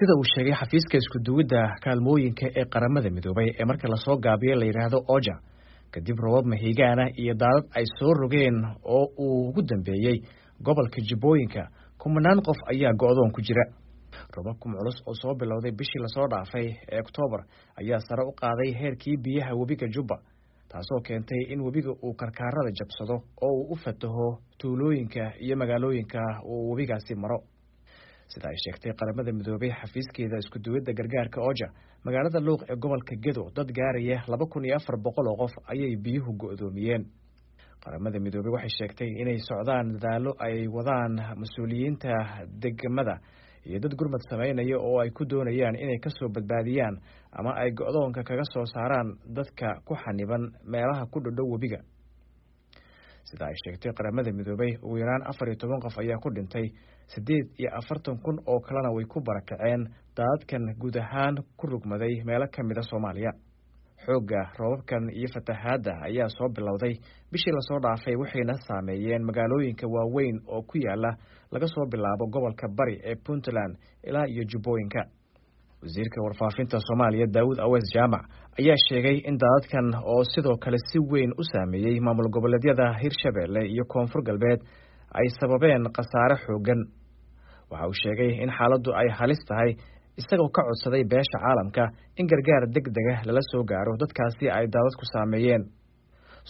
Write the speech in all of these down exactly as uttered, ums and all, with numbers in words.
Sida uu sheegay xafiiska isku-duwidda kaalmooyinka ee Qaramada Midoobay ee marka lasoo gaabiyo la yidhaahdo OCHA, kadib roobab mahiigaana iyo daadad ay soo rogeen oo uu ugu dambeeyey gobolka Jubbooyinka, kumanaan qof ayaa go'doon ku jira. Roobabkan culus oo soo bilowday bishii lasoo dhaafay ee Oktoobar ayaa sare u qaaday heerkii biyaha webiga Jubba, taasoo keentay in webiga uu karkaarada jabsado oo uu u fataho tuulooyinka iyo magaalooyinka uu webigaasi maro. Sida ay sheegtay Qaramada Midoobay xafiiskeeda isku-duwidda gargaarka OCHA, magaalada Luuq ee gobolka Gedo dad gaaraya laba kun iyo afar boqol oo qof ayay biyuhu go'doomiyeen. Qaramada Midoobey waxay sheegtay inay socdaan dadaallo ay wadaan mas-uuliyiinta degmada iyo dad gurmad sameynaya oo ay ku doonayaan inay kasoo badbaadiyaan ama ay go'doonka kaga soo saaraan dadka ku xaniban meelaha ku dhodhow webiga. Sida ay sheegtay Qaramada Midoobey, ugu yaraan afar iyo toban qof ayaa ku dhintay, siddeed iyo afartan kun oo kalena way ku barakaceen daadadkan guud ahaan ku rugmaday meelo ka mid a Soomaaliya. Xoogga roobabkan iyo fatahaadda ayaa soo bilowday bishii lasoo dhaafay, waxayna saameeyeen magaalooyinka waaweyn oo ku yaala laga soo bilaabo gobolka Bari ee Puntland ilaa iyo Jubbooyinka. Wasiirka warfaafinta Soomaaliya Daawud Aweys Jaamac ayaa sheegay in daadadkan oo sidoo kale si weyn u saameeyey maamul goboleedyada Hirshabeelle iyo Koonfur Galbeed ay sababeen khasaare xooggan. Waxa uu sheegay in xaaladdu ay halis tahay, isagoo ka codsaday beesha caalamka in gargaar deg dega lala soo gaaro dadkaasi ay daadadku saameeyeen.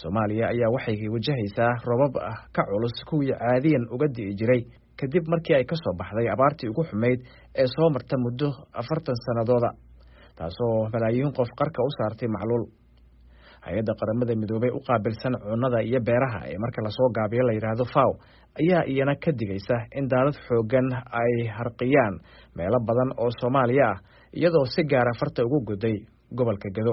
Soomaaliya ayaa waxay wajahaysaa roobab ka culus kuwii caadiyan uga di'i jiray, kadib markii ay ka soo baxday abaartii ugu xumayd ee soo marta muddo afartan sannadooda, taasoo malaayiin qof qarka u saartay macluul. Hay-adda Qaramada Midoobey u qaabilsan cunnada iyo beeraha ee marka lasoo gaabiyo la yidhaahdo FAO ayaa iyana ka digaysa in daadad xooggan ay harqiyaan meelo badan oo Soomaaliya ah, iyadoo si gaara farta ugu goday gobolka Gedo.